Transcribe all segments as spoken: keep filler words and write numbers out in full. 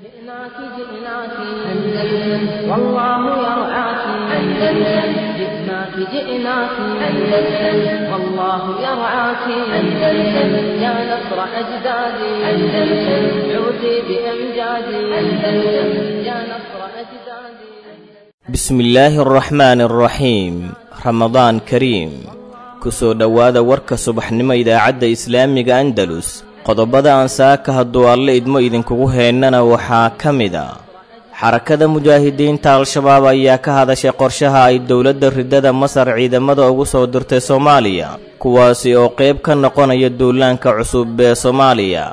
جئناك جئناك أندلس والله يرعاك أندلس جئناك جئناك أندلس والله يرعاك أندلس يا نصر أجدادي أندلس عودي بأمجادي أندلس يا نصر أجدادي. بسم الله الرحمن الرحيم. Ramadaan Kariim. Kusoo dhowaada warka subaxnimo idaacadda Islaamiga Andalus. Qodobada aan saaka hadduu Alle idmo idinkugu heennana waxaa ka mid ah Xarakada Mujaahidiinta Al-Shabaab ayaa ka hadashay qorshaha ay dowladda riddada Masar ciidamada ugu soo dirtay Soomaaliya, kuwaasi oo qayb ka noqonaya duulaanka cusub ee Soomaaliya.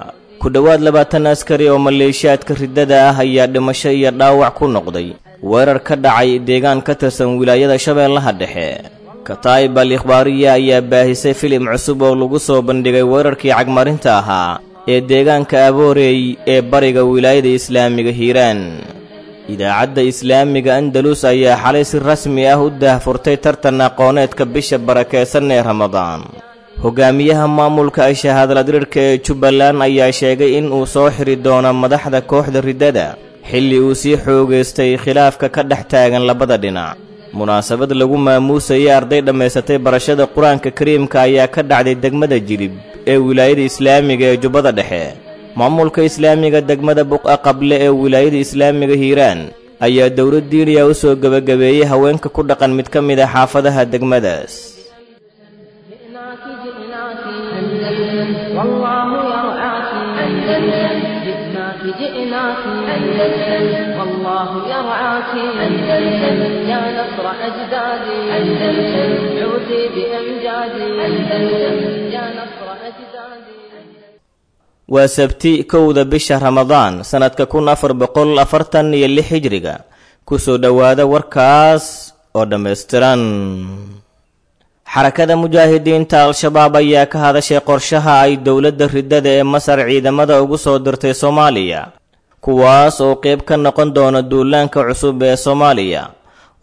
Ku dhowaad labaatan askari oo maleeshiyaadka riddada ah ayaa dhimasho iyo dhaawac ku noqday weerar ka dhacay deegaan ka tirsan wilaayada Shabeellaha Dhexe. Kataib al-Ikhbaariya ayaa baahisay filim cusub oo lagu soo bandhigay weerarkii cagmarinta ahaa ee deegaanka Aboorey ee bariga wilaayada Islaamiga Hiiraan. Idaacadda Islaamiga Andalus ayaa xalay si rasmi ah u daahfurtay tartan aqooneedka bisha barakeysan ee Ramadaan. Hogaamiyaha maamulka shahaadla-dirirka ee Jubbaland ayaa sheegay in uu soo xiri doono madaxda kooxda riddada xilli uu sii xoogaystay khilaafka ka dhex taagan labada dhinac. Munaasabad lagu maamuusayay arday dhammaysatay barashada Qur-aanka Kariimka ayaa ka dhacday degmada Jilib ee wilaayada Islaamiga ee Jubbada Dhexe. Maamulka Islaamiga degmada Buqa Qable ee wilaayada Islaamiga Hiiraan ayaa dowlad diiniya u soo gebagabeeyey haweenka ku dhaqan mid ka mid ah xaafadaha degmadaas. جئناك جئناك أندلس والله يرعاك أندلس جئناك جئناك أندلس والله يرعاك أندلس يا نصر أجدادي أندلس عودي بأمجادي أندلس يا نصر أجدادي. Waa Sabti kowda bisha Ramadaan sanadka kun afar boqol afartan iyo lix hijriga. Kusoo dhowaada warkaas oo dhammaystiran. Xarakada Mujaahidiinta Al-Shabaab ayaa ka hadashay qorshaha ay dowladda riddada ee Masar ciidamada ugu soo dirtay Soomaaliya, kuwaas oo qayb ka noqon doona duulaanka cusub ee Soomaaliya.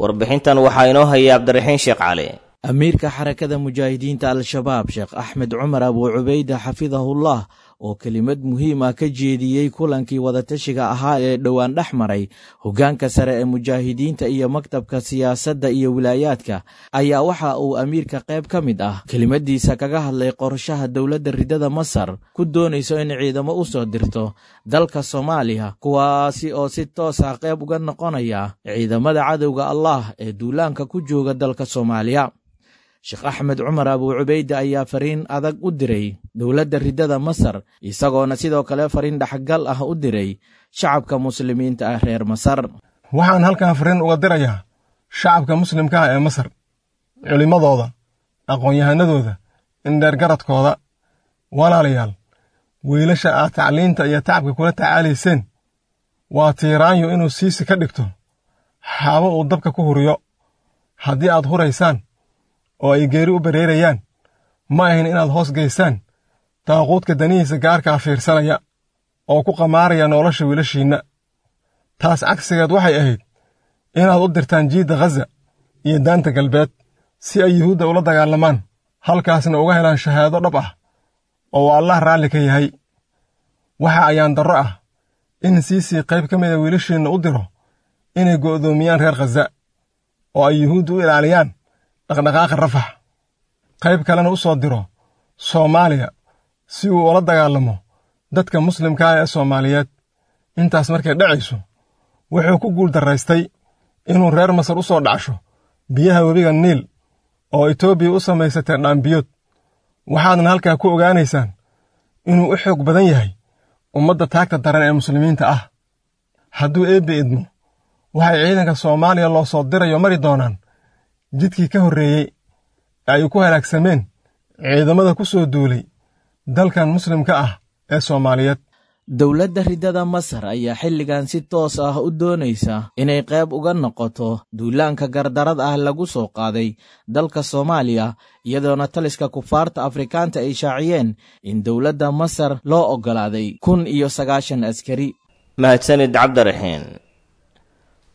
Warbixintan waxaa inoo haya Cabdiraxiin Sheekh Cali. Amiirka Xarakada Mujaahidiinta Al-Shabaab Sheekh Axmed Cumar Abu Cubeyda xafidahullah oo kelimad muhiim ah ka jeediyey kulankii wadatashiga ahaa ee dhowaan dhex maray hoggaanka sare ee mujaahidiinta iyo maktabka siyaasadda iyo wilaayaadka ayaa waxa uu amiirka qayb ka mid ah kelimadiisa kaga hadlay qorshaha dowladda riddada Masar ku doonayso in ciidamo u soo dirto dalka Soomaaliya, kuwaasi oo si toos ah qayb uga noqonaya ciidamada cadowga Allah ee duulaanka ku jooga dalka Soomaaliya. Sheekh Axmed Cumar Abu Cubeyde ayaa fariin adag u diray dowladda riddada Masar, isagoona sidoo kale fariin dhexgal ah u diray shacabka muslimiinta ah reer Masar. Waxaan halkan fariin uga dirayaa shacabka muslimka ah ee Masar, culimmadooda, aqoon-yahanadooda, indheergaradkooda. Walaalayaal, wiilasha aad tacliinta iyo tacabka kula tacaalayseen waa tiiraanyo inuu siisi ka dhigto xaabo uu dabka ku huriyo. Haddii aad huraysaan oo ay geeri u bareerayaan, ma ahin inaad hoos geysaan daaquudka danihiisa gaarkaa fiirsanaya oo ku qamaaraya nolosha wiilashiinna. Taas cagsigeed waxay ahayd inaad u dirtaan jiidda Ghaza iyo daanta galbeed si ay yuhuudda ula dagaalamaan, halkaasna uga helaan shahaado dhab ah oo uu Allah raalli ka yahay. Waxa ayaan darro ah in Siisii qayb ka mida wiilashiinna u diro inay go'doomiyaan reer Ghaza oo ay yuhuudda u ilaaliyaan dhaqdhaqaaqa Rafax, qayb kalena u soo diro Soomaaliya si uu ula dagaalamo dadka muslimka ah ee Soomaaliyeed. Intaas markay dhacayso, wuxuu ku guul darraystay inuu reer Masar u soo dhacsho biyaha webiga Niil oo Itoobiya u samaysatay dhaambiyood. Waxaadna halkaa ku ogaanaysaan inuu u xoog badan yahay ummadda taagta daran ee muslimiinta ah. Hadduu Eebbe idmo, waxay ciidanka Soomaaliya loo soo dirayo mari doonaan jidkii ka horreeyey ee ay ku halaagsameen ciidamada ku soo duulay dalkan muslimka ah ee Soomaaliyeed. Dowladda riddada Masar ayaa xilligan si toos ah u doonaysa inay qayb uga noqoto duulaanka gardarada ah lagu soo qaaday dalka Soomaaliya, iyadoona taliska kufaarta Afrikaanta ay shaaciyeen in dowladda Masar loo oggolaaday kun iyo sagaashan askari. Mahadsanid Cabdiraxiin.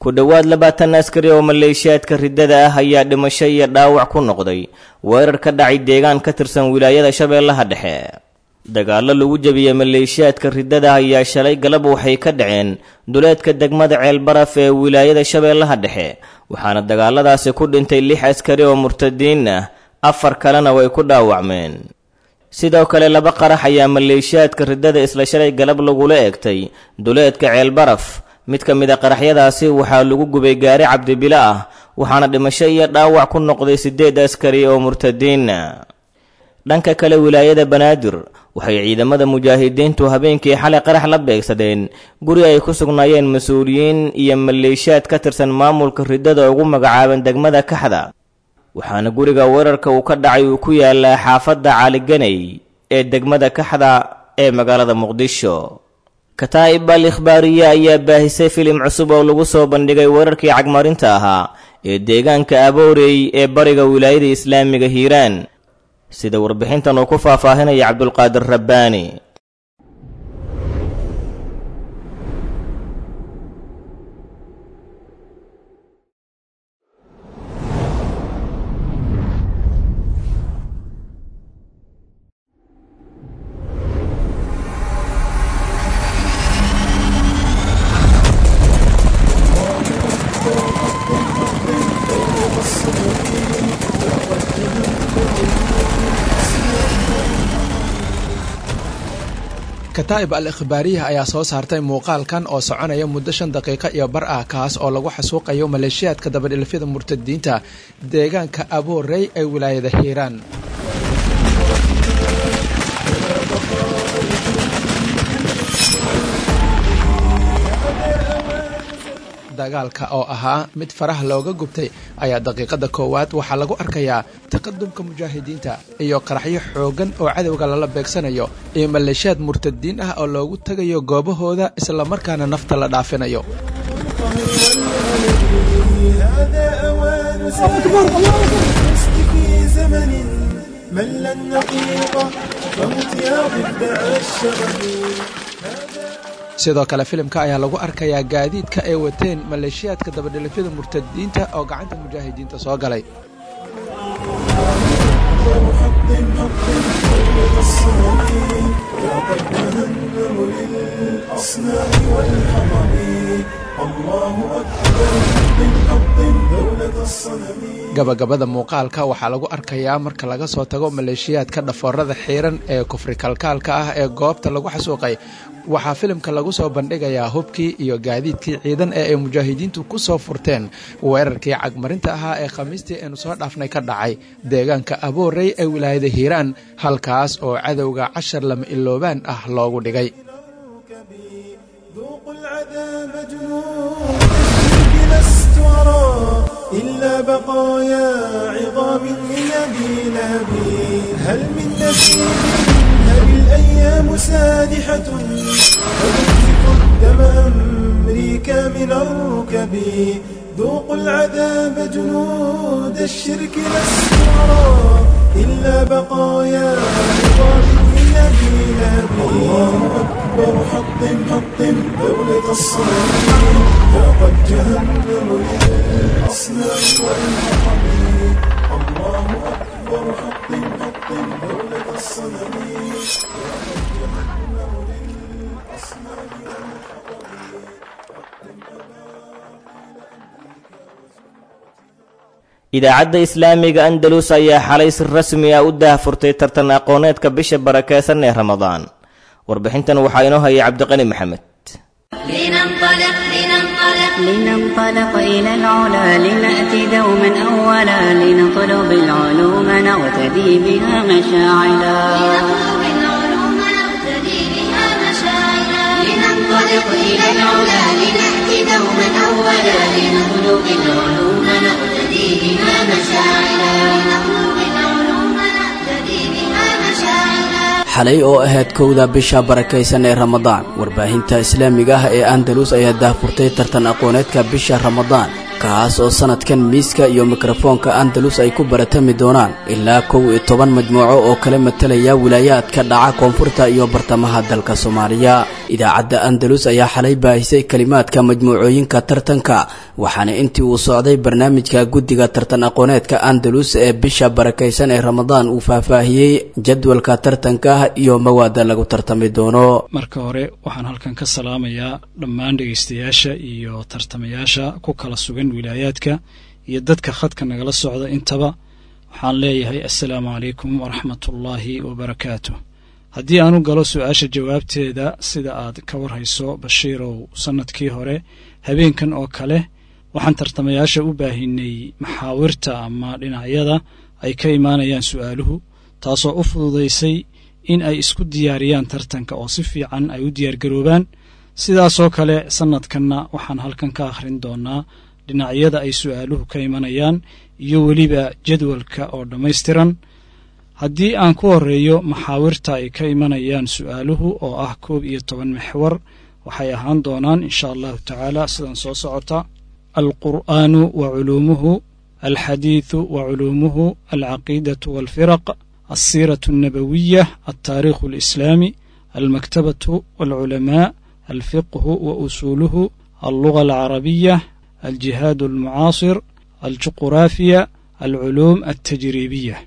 Ku dhowaad labaatan askari oo maleeshiyaadka riddada ah ayaa dhimasho iyo dhaawac ku noqday weerar ka dhacay deegaan ka tirsan wilaayada Shabeellaha Dhexe. Dagaallo lagu jabiyey maleeshiyaadka riddada ayaa shalay galab waxay ka dhaceen duleedka degmada Ceelbaraf ee wilaayada Shabeellaha Dhexe, waxaana dagaaladaasi ku dhintay lix askari oo murtadiin ah, afar kalena way ku dhaawacmeen. Sidoo kale laba qarax ayaa maleeshiyaadka riddada isla shalay galab lagula eegtay duleedka Ceelbaraf. Mid ka mid a qaraxyadaasi waxaa lagu gubay gaari cabdibilo ah, waxaana dhimasho iyo dhaawac ku noqday siddeed askari oo murtadiin ah. Dhanka kale wilaayada Banaadir waxay ciidamada mujaahidiintu habeenkii xalay qarax la beegsadeen guri ay ku sugnaayeen mas-uuliyiin iyo maleeshiyaad ka tirsan maamulka riddada ugu magacaaban degmada Kaxda, waxaana guriga weerarka uu ka dhacay uu ku yaalaa xaafadda Caaliganey ee degmada Kaxda ee magaalada Muqdisho. Kataa'ib al-Ikhbaariya ayaa baahisay filim cusub oo lagu soo bandhigay weerarkii cagmarinta ahaa ee deegaanka Aboorey ee bariga wilaayada Islaamiga Hiiraan, sida warbixintan uu ku faahfaahinaya Cabdulqaadir Rabbaani. Kataa'ib al-Ikhbaariya ayaa soo saartay muuqaalkan oo soconaya muddo shan daqiiqo iyo bar ah, kaas oo lagu xasuuqayo maleeshiyaadka dabadhilfyada murtadiinta deegaanka Aboorey ee wilaayada Hiiraan. Dagaalka oo ahaa mid faraha looga gubtay ayaa daqiiqada koowaad waxaa lagu arkayaa taqadumka mujaahidiinta iyo qaraxyo xooggan oo cadowga lala beegsanayo iyo maleeshiyaad murtadiin ah oo loogu tagayo goobahooda islamarkaana nafta la dhaafinayo. Sidoo kale filimka ayaa lagu arkayaa gaadiidka ay wateen maleeshiyaadka dabadhilifyada murtadiinta oo gacanta mujaahidiinta soo galay. Gabagabada muuqaalka waxaa lagu arkayaa marka laga soo tago maleeshiyaadka dhafoorada xiiran ee kufri kalkaalka ah ee goobta lagu xasuuqay, waxaa filimka lagu soo bandhigayaa hubkii iyo gaadiidkii ciidan ee ay mujaahidiintu ku soo furteen weerarkii cagmarinta ahaa ee khamiistii aynu soo dhaafnay ka dhacay deegaanka Aboorey ee wilaayada Hiiraan, halkaas oo cadowga cashar lama iloobaan ah loogu dhigay. إلا بقايا عظام من أبي لهب، هل من نسيب هل الأيام سانحة فتنزف الدم أمريكا من الركب، ذوقوا العذاب جنود الشرك لست أرى إلا بقايا عظام من أبي لهب. الله أكبر حطم حطم دولة الصنم، فقد جهنم للأصنام والحطم. الله أكبر حطم حطم دولة الصنم، فقد جهنم للأصنام والحطم. Idaacadda Islaamiga Andalus ayaa xalay si rasmi ah u daahfurtay tartan aqooneedka bisha barakeysan ee Ramadaan. Warbixintan waxaa inoo hayay Cabdiqani Maxamed. لننطلق لننطلق لننطلق إلى العلا لنأتي دوما أولا لنطلب العلوم نغتدي بها مشاعلا لنطلب العلوم نغتدي بها مشاعلا لننطلق إلى العلا لنأتي دوما أولا لنطلب العلوم نغتدي بها مشاعلا لنطلب العلوم نغتدي بها مشاعلا. Xalay oo ahayd kowda bisha barakaysan ee Ramadaan, warbaahinta islaamiga ah ee Andalus ayaa daahfurtay tartan aqooneedka bisha Ramadaan, Kaas oo sanadkan miiska iyo mikrofoonka Andalus ay ku baratami doonaan ilaa kow iyo toban majmuuco oo kala matalaya wilaayaadka dhaca koonfurta iyo bartamaha dalka Soomaaliya. Idaacadda Andalus ayaa xalay baahisay kalimaadka majmuucooyinka tartanka, waxaana intii uu socday barnaamijka guddiga tartan aqooneedka Andalus ee bisha barakaysan ee Ramadaan uu faahfaahiyey jadwalka tartanka iyo mawaada lagu tartami doono. Marka hore waxaan halkan ka salaamayaa dhammaan dhegaystayaasha iyo tartamayaasha ku kala sugan wilaayaadka iyo dadka khadka nagala socda intaba. Waxaan leeyahay assalaamu calaykum waraxmatullaahi wabarakaatu. Haddii aanu galo su-aasha jawaabteeda, sida aad ka warhayso Bashiirow, sanadkii hore habeenkan oo kale waxaan tartamayaasha u baahinay maxaawirta ama dhinacyada ay ka imaanayaan su'aaluhu, taasoo u fududaysay in ay isku diyaariyaan tartanka oo si fiican ay u diyaargaroobaan. Sidaasoo kale sanadkanna waxaan halkan ka akhrin doonaa dhinacyada ay su'aaluhu ka imanayaan iyo weliba jadwalka oo dhammaystiran. Haddii aan ku horreeyo maxaawirta ay ka imanayaan su'aaluhu oo ah koob iyo toban mixwar, waxay ahaan doonaan insha allahu tacaala sidan soo socota: alqur'aanu wa culuumuhu, alxadiidu wa culuumuhu, alcaqiidatu waalfiraq, alsiiratu alnabawiya, altaariikhu alislaami, almaktabatu waalculamaa, alfiqhu wa usuuluhu, alluga alcarabiya, aljihaadu almucaasir, aljuquraafiya, alculuum altajriibiya.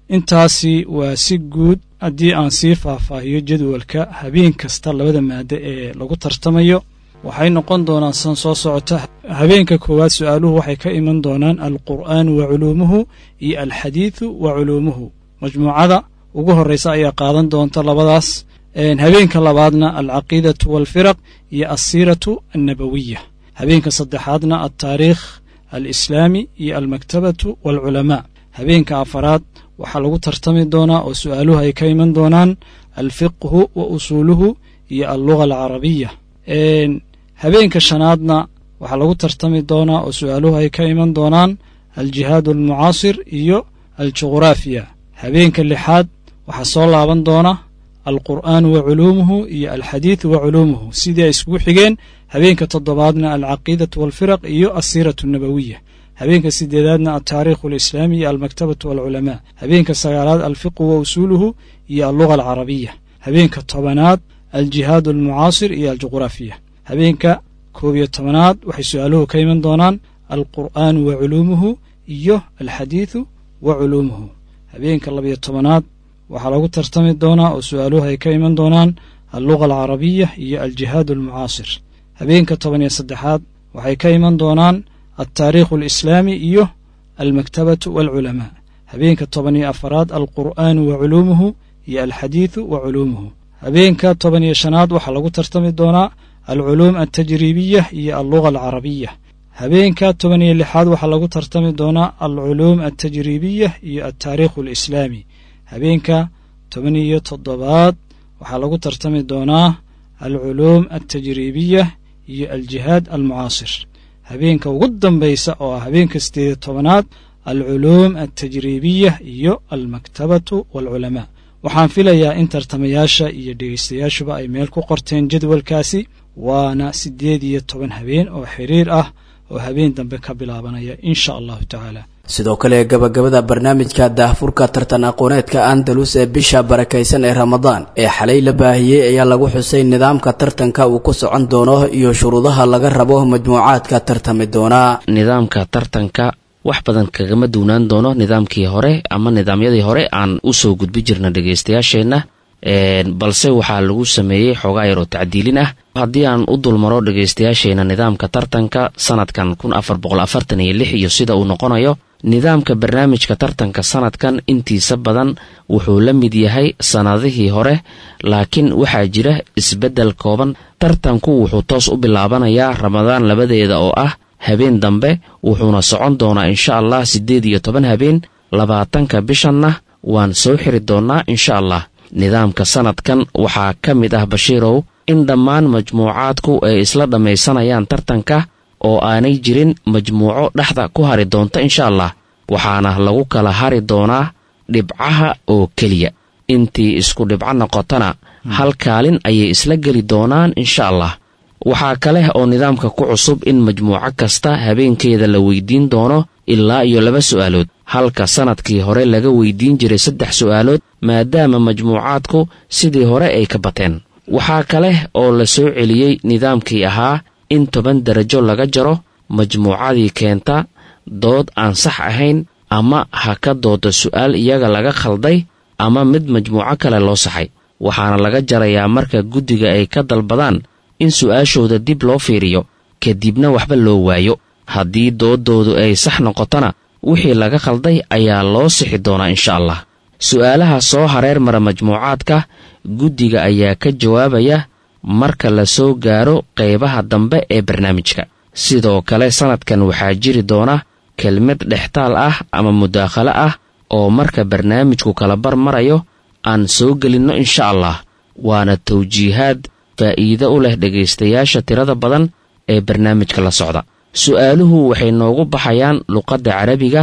Intaasi waa si guud. Haddii aan sii faahfaahiyo jadwalka habeen kasta labada maado ee lagu tartamayo, waxay noqon doonaan san soo socota. Habeenka koowaad su'aaluhu waxay ka iman doonaan alqur'aanu wa culuumuhu iyo alxadiidu wa culuumuhu. Majmuucada ugu horreysa ayaa qaadan doonta labadaas. Habeenka labaadna alcaqiidatu waalfiraq iyo alsiiratu annabawiya. Habeenka saddexaadna altaariikh alislaami iyo almaktabatu waalculamaa. Habeenka afaraad waxaa lagu tartami doonaa oo su'aaluhu ay ka iman doonaan alfiqhu wa usuuluhu iyo alluga alcarabiya. Habeenka shanaadna waxaa lagu tartami doonaa oo su'aaluhu ay ka iman doonaan aljihaadu almucaasir iyo aljuqraafiya. Habeenka lixaad waxaa soo laaban doona alqur'aanu wa culuumuhu iyo alxadiidu wa culuumuhu, sidii ay iskugu xigeen. Habeenka toddobaadna alcaqiidatu waalfiraq iyo alsiiratu annabawiya. Habeenka sideedaadna altaariikhu alislaami iyo almaktabatu waalculamaa. Habeenka sagaalaad alfiqhu wa usuuluhu iyo alluga alcarabiya. Habeenka tobanaad aljihaadu almucaasir iyo aljuqraafiya. Habeenka koob iyo tobanaad waxay su'aaluhu ka iman doonaan alqur'aanu wa culuumuhu iyo alxadiidu wa culuumuhu. Habeenka labiyo tobanaad waxaa lagu tartami doonaa oo su'aaluhu ay ka iman doonaan alluga alcarabiya iyo aljihaadu almucaasir. Habeenka toban iyo saddexaad waxay ka iman doonaan altaariikhu alislaami iyo almaktabatu waalculamaa. Habeenka toban iyo afaraad alqur'aanu wa culuumuhu iyo alxadiidu wa culuumuhu. Habeenka toban iyo shanaad waxaa lagu tartami doonaa alculuum altajriibiya iyo alluga alcarabiya. Habeenka toban iyo lixaad waxaa lagu tartami doonaa alculuum altajriibiya iyo altaariikhu alislaami. Habeenka toban iyo toddobaad waxaa lagu tartami doonaa alculuum altajriibiya iyo aljihaad almucaasir. Habeenka ugu dambaysa oo ah habeenka sideed iyo tobanaad alculuum altajriibiya iyo almaktabatu waalculamaa. Waxaan filayaa in tartamayaasha iyo dhegaystayaashuba ay meel ku qorteen jadwalkaasi, waana siddeed iyo toban habeen oo xiriir ah oo habeen dambe ka bilaabanaya insha allahu tacaala. Sidoo kale gabagabada barnaamijka daahfurka tartan aqooneedka Andalus ee bisha barakaysan ee Ramadaan ee xalay la baahiyey ayaa lagu xusay nidaamka tartanka uu ku socon doono iyo shuruudaha laga rabo majmuucaadka tartami doona. Nidaamka tartanka wax badan kagama duunaan doono nidaamkii hore ama nidaamyadii hore aan usoo gudbi jirna dhegaystayaasheenna, balse waxaa lagu sameeyey xoogaa yaroo tacdiilin ah. Haddii aan u dulmaro dhegaystayaasheenna nidaamka tartanka sanadkan kun afar boqol afartan iyo lix iyo sida uu noqonayo, nidaamka barnaamijka tartanka sanadkan intiisa badan wuxuu la mid yahay sannadihii hore, laakiin waxaa jira isbeddel kooban. Tartanku wuxuu toos u bilaabanayaa Ramadaan labadeeda oo ah habeen dambe, wuxuuna socon doonaa insha allah siddeed iyo toban habeen. Labaatanka bishanna waan soo xiri doonnaa insha allah. Nidaamka sanadkan waxaa ka mid ah, Bashiirow, in dhammaan majmuucaadku ay isla dhammaysanayaan tartanka oo aanay jirin majmuuco dhexda ku hari doonta insha allah. Waxaana lagu kala hari doonaa dhibcaha oo keliya. Intii isku dhibco noqotana hal kaalin ayay isla geli doonaan insha allah. Waxaa kale oo nidaamka ku cusub in majmuuco kasta habeenkeeda la weydiin doono ilaa iyo laba su'aalood, halka sanadkii hore laga weydiin jiray saddex su'aalood, maadaama majmuucaadku sidii hore ay ka bateen. Waxaa kale oo la soo celiyey nidaamkii ahaa in toban darajo laga jaro majmuucadii keenta dood aan sax ahayn, ama ha ka doodo su'aal iyaga laga khalday ama mid majmuuco kale loo saxay. Waxaana laga jarayaa marka guddiga ay ka dalbadaan in su'aashooda dib loo fiiriyo, kadibna waxba loo waayo. Haddii doodoodu ay sax noqotona, wixii laga khalday ayaa loo sixi doonaa insha allah. Su'aalaha soo hareer mara majmuucaadka guddiga ayaa ka jawaabaya marka la soo gaaro qaybaha dambe ee barnaamijka. Sidoo kale sanadkan waxaa jiri doona kelmad dhextaal ah ama mudaakhalo ah oo marka barnaamijku kala bar marayo aan soo gelinno insha allah, waana tawjiihaad faa'iido u leh dhegaystayaasha tirada badan ee barnaamijka la socda. Su'aaluhu waxay noogu baxayaan luqadda carabiga,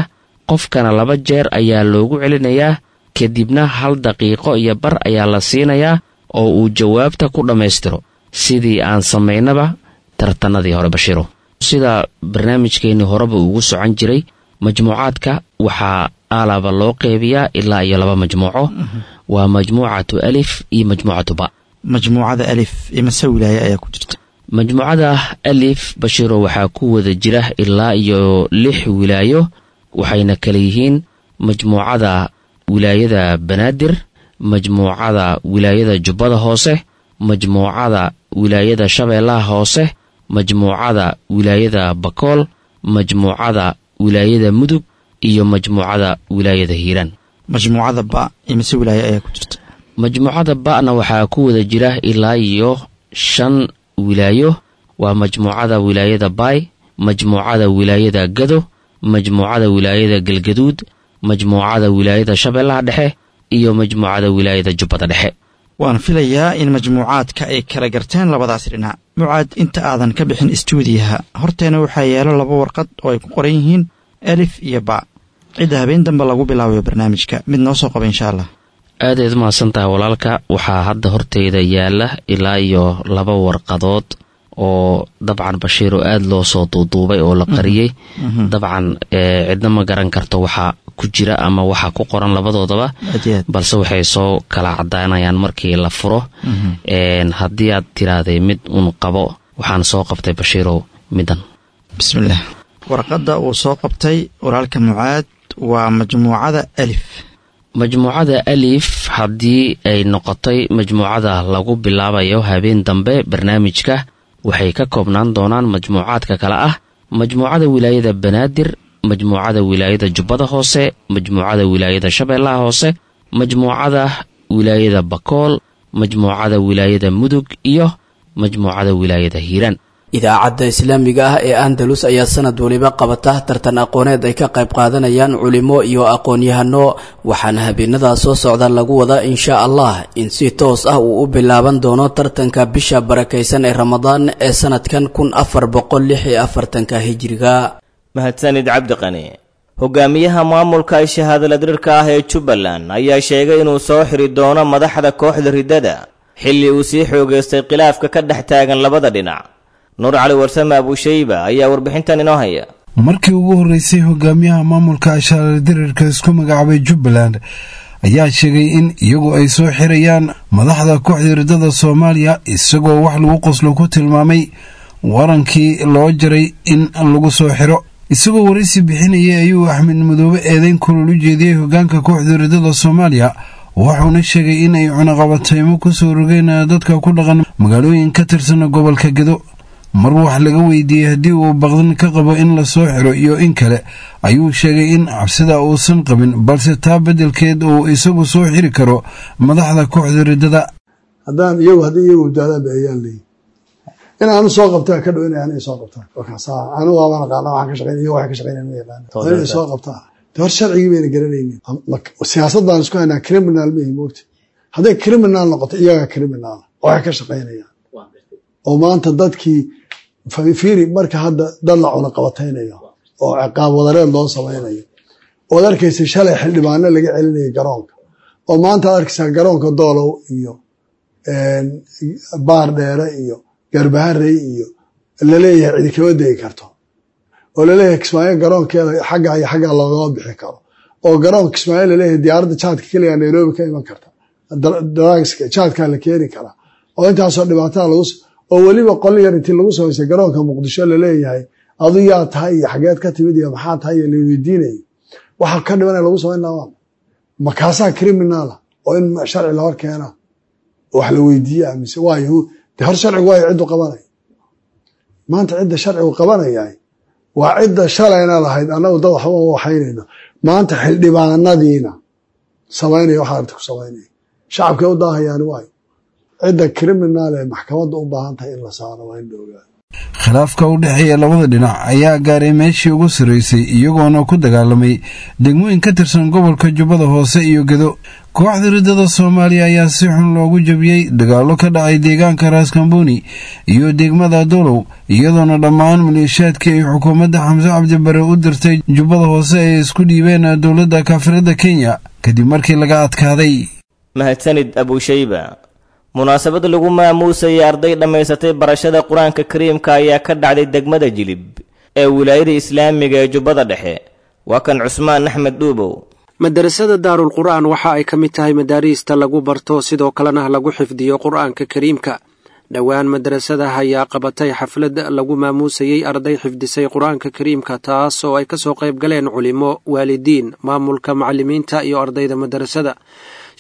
qofkana laba jeer ayaa loogu celinayaa, kadibna hal daqiiqo iyo bar ayaa la siinayaa oo uu jawaabta ku dhammaystiro, sidii aan samaynaba tartanadii hore. Bashiiro, sida barnaamijkeennii horeba ugu socon jiray, majmuucaadka waxaa aalaba loo qeybiyaa ilaa iyo laba majmuuco, waa majmuucatu alif iyo majmuucatu ba. Majmuucada alif imase wilaaye ayaa ku jirta? Majmuucada alif, Bashiiro, waxaa ku wada jira ilaa iyo lix wilaayo, waxayna kala yihiin majmuucada wilaayada Banaadir, majmuucada wilaayada Jubbada Hoose, majmuucada wilaayada Shabeellaha Hoose, majmuucada wilaayada Bakool, majmuucada wilaayada Mudug iyo majmuucada wilaayada Hiiraan. Majmuucada ba imise wilaaye ayaa ku jirta? Majmuucada ba'na waxaa ku wada jira ilaa iyo shan wilaayo, waa majmuucada wilaayada Baay, majmuucada wilaayada Gado, majmuucada wilaayada Galgaduud, majmuucada wilaayada Shabeellaha Dhexe iyo majmuucada wilaayada Jubbada Dhexe. Waan filayaa in majmuucaadka ay kala garteen labadaas dhinac. Mucaad, inta aadan ka bixin istuudiyaha, horteena waxaa yaalo laba warqad oo ay ku qoran yihiin alif iyo ba. Cidda habeen dambe lagu bilaabayo barnaamijka mid noo soo qaba insha allah. Aadayd umahadsan tahay walaalka. Waxaa hadda horteyda yaala ilaa iyo laba warqadood oo dabcan, Bashiiro, aada loo soo duuduubay oo la qariyey. Dabcan cidna ma garan karto waxa ku jira ama waxa ku qoran labadoodaba, balse waxay soo kala cadaanayaan markii la furo. Haddii aad tiraahday mid uun qabo, waxaan soo qabtay, Bashiirow, midan. Bismillaah. Warqadda uu soo qabtay walaalka Mucaad waa majmuucada alif. Majmuucada alif haddii ay noqotay majmuucada lagu bilaabayo habeen dambe barnaamijka, waxay ka koobnaan doonaan majmuucaadka kale ah majmuucada wilaayada Banaadir, majmuucada wilaayada Jubbada Hoose, majmuucada wilaayada Shabeellaha Hoose, majmuucada wilaayada Bakool, majmuucada wilaayada Mudug iyo majmuucada wilaayada Hiiraan. Idaacadda islaamiga ah ee Andalus ayaa sanad waliba qabata tartan aqooneed ay ka qayb qaadanayaan culimo iyo aqoon-yahano, waxaana habeenadaa soo socda lagu wadaa insha allah in si toos ah uu u bilaaban doono tartanka bisha barakaysan ee Ramadaan ee sanadkan kun afar boqol lix iyo afartanka hijriga. Mahadsanid Cabdiqani. Hogaamiyaha maamulka shahaadaladirirka ah ee Jubbaland ayaa sheegay inuu soo xiri doono madaxda kooxda riddada, xilli uu sii xoogaystay khilaafka ka dhex taagan labada dhinac. Nuur Cali Warsame Abuushayba ayaa warbixintan inoo haya. Markii ugu horreysay, hogaamiyaha maamulka ashaaladirirka isku magacaabay Jubbaland ayaa sheegay in iyagu ay soo xirayaan madaxda kooxda riddada Soomaaliya, isagoo wax lagu qoslo ku tilmaamay warankii loo jaray in lagu soo xiro. Isagoo waraysi bixinayay ayuu Axmed Madoobe eedeyn kulul u jeediyey hogaanka kooxda riddada Soomaaliya, wuxuuna sheegay in ay cunaqabateymo kusoo rogeen dadka ku dhaqan magaalooyin ka tirsan gobolka Gedo. Mar wax laga weydiiyey haddii uu baqdan ka qabo in la soo xiro iyo in kale, ayuu sheegay in cabsida uusan qabin, balse taa beddelkeed uu isagu soo xiri karo madaxda kooxda riddada. Haddaan iyagu haddii iyagu badbaadaan ba ayaan leeyihi in aanu soo qabtaa ka dhow inay aniga soo qabtaan. Anu waabaan aqaana waxaan ka shaqeyn, iyagu waxay ka shaqeynayaan ma yaqaana inay soo qabtaa. De hor sharcigii bayna garanaynin, siyaasad baan isku haynaa, criminal ma ihi moogta. Hadday criminal noqoto, iyagaa criminal waxay ka shaqeynayaan oo maanta dadkii fiiri. Marka hadda dad la cunaqabataynayo oo ciqaab wadareed loo samaynayo, ood arkaysa shalay xildhibaano laga celinayay garoonka, oo maanta ad arkaysaa garoonka Doolow iyo Baar Dheere iyo Garbaharey iyo laleeyahay cidi kama degi karto, oo laleeyahay Kismaayo garoonkeeda xagga iyo xaggaa loogama bixi karo, oo garoonka Kismaayo laleeyahay diyaaradda jaadka keliya Nairobi ka iman karta, daraagiska jaadkaa la keeni karaa, oo intaasoo dhibaatada lagu, oo weliba qol yar intii lagu samaystay garoonka Muqdisho laleeyahay adu yaa tahay iyo xageed ka timid iyo maxaa tahay iyo la weydiinayo, waxa ka dhiman lagu samayn lahaa makaasaa criminala oo in sharci la hor keena wax la weydiiya mise waayo de hor sharcigu waayo ciddu qabanaya. Maanta cidda sharcigu qabanayahay waa cidda shalayna lahayd annagu dad waxba uma waxaynayno, maanta xildhibaanadiina samaynaya waxaa arta ku samaynaya shacabkay u daahayaan waayo cidda criminal ee maxkamadda u baahan tahay in la saaro waa in la ogaado. Khilaafka u dhexeeya labada dhinac ayaa gaaray meeshii ugu sarraysay, iyagoona ku dagaalamay degmooyin ka tirsan gobolka Jubbada Hoose iyo Gedo. Kooxda riddada Soomaaliya ayaa si xun loogu jabiyey dagaallo ka dhacay deegaanka Raaskamboni iyo degmada Dolow, iyadoona dhammaan maleeshiyaadkii ay xukuumadda Xamse Cabdi Bare u dirtay Jubbada Hoose ay isku dhiibeen dowladda kaafirada Kenya kadib markii laga adkaaday. Mahadsanid Abushayba. Munaasabad lagu maamuusayay arday dhammaysatay barashada Qur-aanka Kariimka ayaa ka dhacday degmada Jilib ee wilaayada islaamiga ee Jubbada Dhexe. Waa kan Cusmaan Axmed Dhuubow. Madarasada Daarul Qur'aan waxa ay ka mid tahay madaariista lagu barto sidoo kalena lagu xifdiyo Qur'aanka Kariimka. Dhowaan madarasada ayaa qabatay xaflad lagu maamuusayey arday xifdisay Qur-aanka Kariimka, taas oo ay kasoo qayb galeen culimo, waalidiin, maamulka, macallimiinta iyo ardayda madarasada.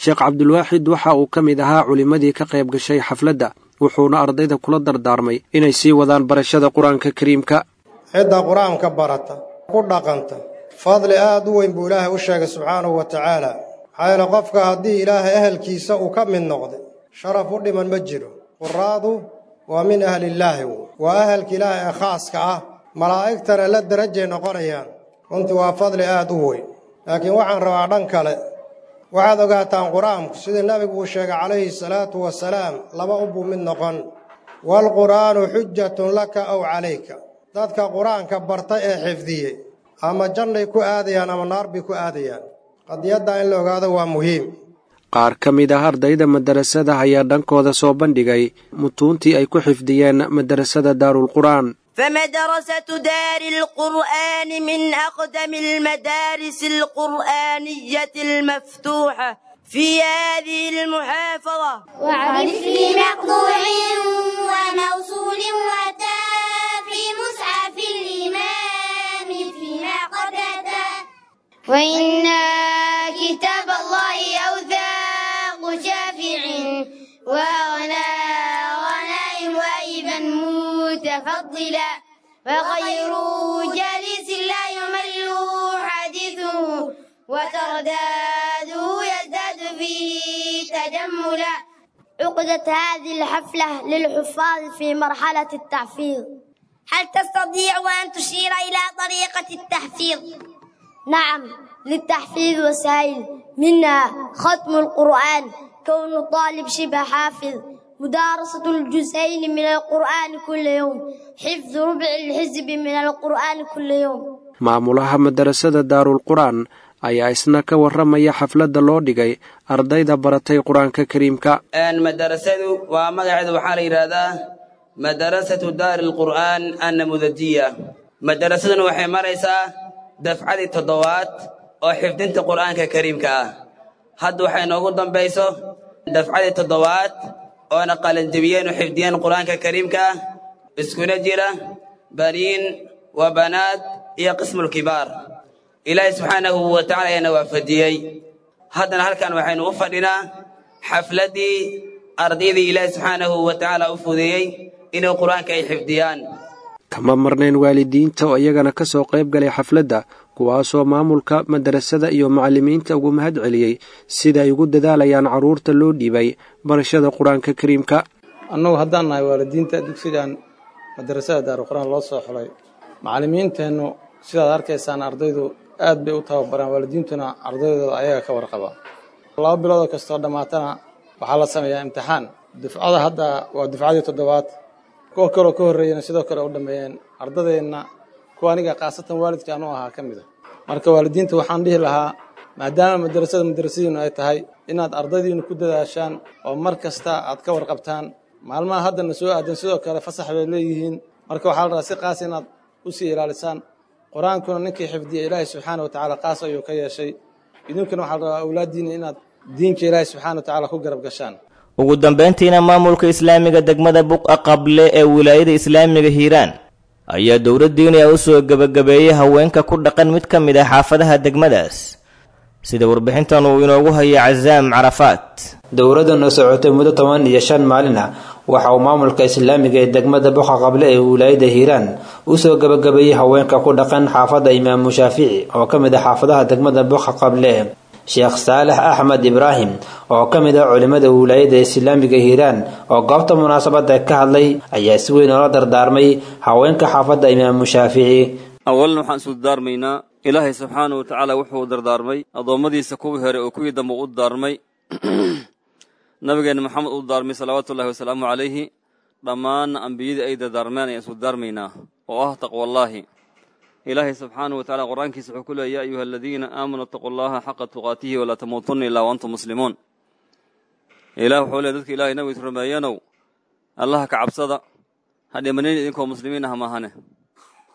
Sheekh Cabdulwaaxid waxa uu ka mid ahaa culimmadii ka qayb gashay xafladda, wuxuuna ardayda kula dardaarmay inay sii wadaan barashada Qur-aanka Kariimka. Cidda qur-aanka barata ku dhaqanta fadli aad u weyn buu Ilaahay u sheegay subxaanahu wa tacaala. Maxaa yeele qofka haddii Ilaahay ehelkiisa uu ka mid noqday sharaf u dhiman ma jiro. Quraadu waa min ahlillaahi, waa ahalka Ilaahay ee khaaska ah, malaa'igtana la darajay noqonayaan. Runtii waa fadli aad u weyn. Laakiin waxaan rabaa dhan kale, waxaad ogaataan qur-aanku sida nabigu uu sheegay calayhi salaatu wasalaam laba unbuu mid noqon: waalqur'aanu xujatun laka aw calayka. Dadka qur-aanka bartay ee xifdiyey ama jannay ku aadayaan ama naar bay ku aadayaan. Qadiyaddaa in la ogaado waa muhiim. Qaar ka mid ah ardayda madarasada ayaa dhankooda soo bandhigay mutuuntii ay ku xifdiyeen madarasada Daarul Qur'aan. فمدرسة دار القرآن من أقدم المدارس القرآنية المفتوحة في هذه المحافظة. وعرف لمقطوع وموصول وتاء في مصحف الإمام فيما قد أتى. وإن كتاب الله أوثاق شافع وأغنى غنائم وائبا متفضلا، وخير جالس لا يمل حديثه وترداده يزداد فيه تجملا. عقدت هذه الحفلة للحفاظ في مرحلة التحفيظ. هل تستطيع أن تشير إلى طريقة التحفيظ؟ نعم، للتحفيظ وسائل، منها ختم القرآن، كون الطالب شبه حافظ، مدارسة الجزئين من القرآن كل يوم، حفظ ربع الحزب من القرآن كل يوم. Maamulaha madarasada Daarul Qur'aan ayaa isna ka warramaya xafladda loo dhigay ardayda baratay Qur-aanka Kariimka. Madarasadu waa magaceedu waxaa la yidhaahdaa Madarasatu Daari Alqur'aan Annamudajiya. Madarasaduna waxay maraysaa dafcadii toddobaad oo xifdinta Qur'aanka Kariimka ah. Hadda waxay noogu dambayso dafcadii toddobaad oona qalanjabiyeen oo xifdiyeen Qur'aanka Kariimka ah, iskuna jira baniin wa banaad iyo qismulkibaar. Ilaahay subxaanahu wa tacala ayaana waafajiyey. Haddana halkan waxaynu u fadhinaa xafladdii ardaydii Ilaahay subxaanahu wa tacaala u fudeeyey inay Qur'aanka ay xifdiyaan. Kama marnayn waalidiinta oo iyagana ka soo qayb galay xafladda, kuwaasoo maamulka madarasada iyo macallimiinta ugu mahad celiyey sida ay ugu dadaalayaan carruurta loo dhiibay barashada Qur-aanka Kariimka. Annagu haddaan nahay waalidiinta dugsigan madarasada Daarul Qur'aan loo soo xulay, macallimiinteennu sidaad arkaysaan ardaydu aad bay u tababaraan, waalidiintuna ardaydooda ayaga ka warqaba. Laba biloodoo kastoo dhammaatana waxaa la sameeyaa imtixaan. Dufcada hadda waa dufcadii toddobaad, kuwa kaloo ka horreeyana sidoo kale u dhammeeyeen. Ardadeenna kuwa aniga khaasatan waalidka anu ahaa ka mid a. Marka waalidiinta waxaan dhihi lahaa, maadaama madarasada madarasadiinu ay tahay, inaad ardaydiinu ku dadaashaan oo mar kasta aad ka warqabtaan, Maalmaha haddana soo aadan sidoo kale fasax bay leeyihiin. Marka waxaa la rabaa si qaas inaad u sii ilaalisaan. Qur-aankuna ninkii xifdiya Ilaahay subxaana wa tacaala qaas ayuu ka yeeshay. Idinkuna waxaa la rabaa awlaaddiina inaad diinka Ilaahay subxaana wa tacaala ku garab gashaan. Ugu dambeyntiina maamulka islaamiga degmada Buqa Qable ee wilaayada islaamiga Hiiraan ayaa dowladdiina u soo gebagabeeyey haweenka ku dhaqan mid ka mid ah xaafadaha degmadaas, sida warbixintan uu inoogu haya Cazaam Carafaat. Dowladdan oo socotay muddo toban iyo shan maalin ah waxa uu maamulka islaamiga ee degmada Buqa Qable ee wilaayada Hiiraan u soo gebagabeeyey haweenka ku dhaqan xaafadda Imaamu Shaafici oo ka mid ah xaafadaha degmada Buqa Qable. Sheekh Saalax Axmed Ibraahim oo ka mid ah culimada wilaayada islaamiga Hiiraan oo goobta munaasabadda ka hadlay ayaa si weyn oola dardaarmay haweenka xaafadda Imaamu Shaafici. Awalan waxaan isu dardaarmaynaa Ilaahay subxaanahu wa tacaala wuxuu dardaarmay addoommadiisa kuwii hore oo kuwii dambe u dardaarmay. Nabigeena Maxamed u dardaarmay salawaatullaahi wasalaamu calayhi. Dhammaan ambiyadii ay dardaarmeen ayaan isu dardaarmaynaa oo ah taqwallaahi. Ilaahay subxaanahu wa tacaala qur-aankiisa wuxuu ku leeyahy: yaa ayuha aladiina aamanuu ittaquu llaha xaqa tuqaatihi walaa tamuutunna illaa wa antum muslimuun. Ilaah wuxuu leeyahy dadka Ilaahay nabigiisa rumeeyanow, Allaha ka cabsada, ha dhimanin idinkoo muslimiin ah maahane.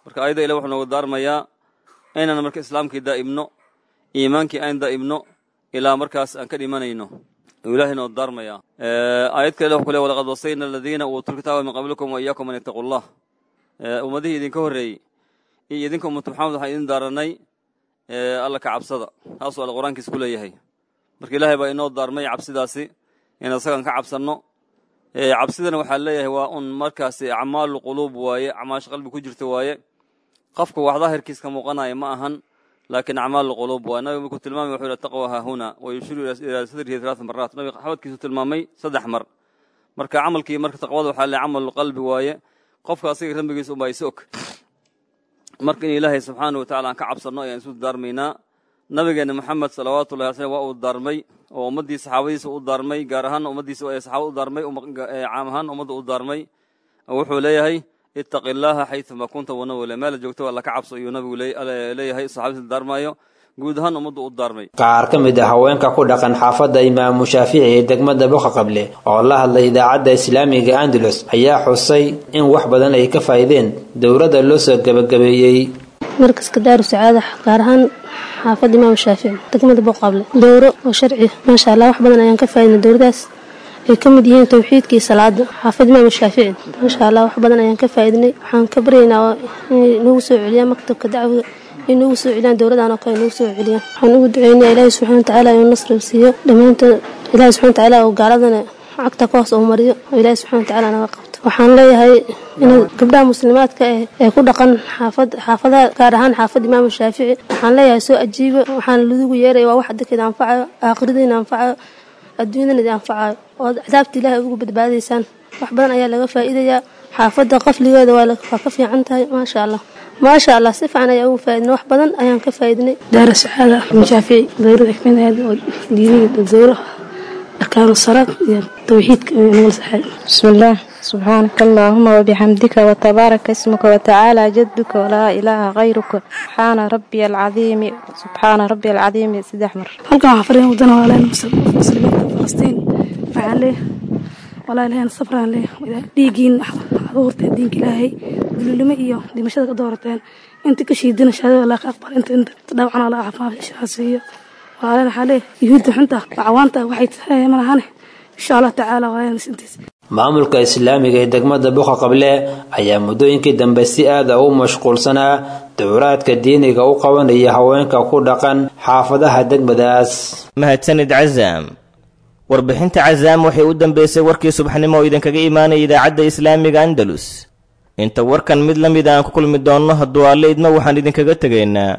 Marka ayada Ilah wuxuu noogu daarmayaa inaan marka islaamkii daa'ibno, iimaankii aan daa'ibno ilaa markaas aan ka dhimanayno. Ilaahay noo daarmayaa. Aayad kale wuxuu ku leeyahy: walaqad wasayna aladiina uutul kitaaba min qablikum wa iyaakum an ittaquu llah. Ummadihii idinka horreeyey iyo idinka ummatu Maxamed waxaan idin daaranay Alla ka cabsada. Taasuu Alla qur-aankiisa ku leeyahay. Marka Ilaahay baa inoo daarmay cabsidaasi in asagan ka cabsanno. Cabsidana waxaa leeyahay waa un markaasi acmaalu quluub waaye, acmaasha qalbi ku jirta waaye. Qofka wax daahirkiis ka muuqanaya ma ahan, laakiin acmaalu quluub waaye. Nabiga markuu tilmaamay wuxuu yihi: taqwa haahuna wa yushiru ilaa sadrihi thalath maraat. Nabiga xabadkiisu tilmaamay saddex mar. Marka camalkii marka taqwada waxaa leeyahay camalu qalbi waaye. Qofka asiga rabbigiisa unbaa is og. Marka in Ilaahay subxaanahu wa tacaala aan ka cabsanno ayaan isu daarmaynaa. Nabigeena Maxamed salawaatullahi aleyh waa uu daarmay oo ummaddii saxaabadiisa u daarmay, gaar ahaan ummaddiisa ee saxaabada u daarmay, caam ahaan ummadda u daarmay. Wuxuu leeyahay: ittaqi illaaha xaytuma kunta wanawala, meela joogto Alla ka cabso ayuu nabigu leeyahay saxaabadiisa daarmaayo, guud ahaan ummaddu u daarmay. Qaar ka mid ah haweenka ku dhaqan xaafadda Imaamu Shaafici ee degmada Buqa Qable oo la hadlay idaacadda islaamiga Andalus ayaa xusay in wax badan ay ka faa'iideen dowladda loo soo gebagabeeyey. Markaska Daaru Sacaada, gaar ahaan xaafadda Imaamu Shaafici, degmada Buqa Qable, dowro oo sharci maasha Allah wax badan ayaan ka faa'iidnay dowladaas ay ka mid yihiin tawxiidka iyo salaada. Xaafadda Imaamu Shaafici maasha Allah wax badan ayaan ka faa'iidnay. Waxaan ka baryaynaa inay nagu soo celiyaan maktabka dacwiga, inuu soo celiyaan dowladan oo kale inuu soo celiyaan. Waxaan ugu duceynayaa Ilaahay subxaanahu wa tacaala inuu nasri siiyo dhammaantood, Ilaahay subxaanahu wa tacaala oo gaaladana cagta ka hoos uu mariyo, oo Ilaahay subxaanahu wa tacaala naga qabto. Waxaan leeyahay in gabdhaha muslimaadka ah ee ku dhaqan xaafad xaafadaha gaar ahaan xaafadda Imaamu Shaafici waxaan leeyahay soo ajiiba. Waxaan lagu yeeraya waa wax dadkeeda anfacayo, aakhiradiina anfacayo, adduunyadana idin anfacayo, oo cadaabta Ilaahay ugu badbaadaysaan. Wax badan ayaa laga faa'iidayaa xaafadda, qafligeeda waa ka fiican tahay maasha Allah. Maasha Allah si fiican ayaa ugu faa'iidnay, wax badan ayaan ka faa'iidnay. Daara Sacaada Axmed Shaafici, dowladda ka mid ahayd oo diiniga dowro arkaanu salaad iyo tawxiidka nagala saxay. Bismillaah. Subxaanaka allaahuma wabixamdika watabaaraka ismuka watacaala jadduka walaa ilaaha khayruka. Subxaana rabbiya alcadiimi, subxaana rabbiya alcadiimi saddex mar. Halkan waxaa fariin wadana walaalaheen muslimiinta Falastiin. Waxaan leeyahay walaalaheen safraan leeyahay dhiiggiin abuurtay diinka Ilaahay dulilimo iyo dhimashada ka doorateen. Inta ka shiidina shahaadada Allah ka aqbal, inta inta dhaawacna Allah caafimaad siiyo. Walaalaheen waxaa leeyahay yuhuudda xunta cawaanta waxay tahay malahane insha Allah tacaala walaalaheen intiis. Maamulka islaamiga ee degmada Buqa Qable ayaa muddooyinkii dambe si aad ah u mashquulsanaa dowraadka diiniga u qabanaya haweenka ku dhaqan xaafadaha degmadaas. Mahadsanid Cazaam. Warbixinta Cazaam waxay u dambeysay warkii subaxnimo oo idinkaga imaanaya idaacadda islaamiga Andalus. Inta warkan mid la mid aan ku kulmi doonno hadduu Alle idmo, waxaan idinkaga tegaynaa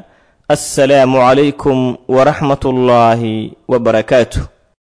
assalaamu calaykum waraxmatullaahi wabarakaatu.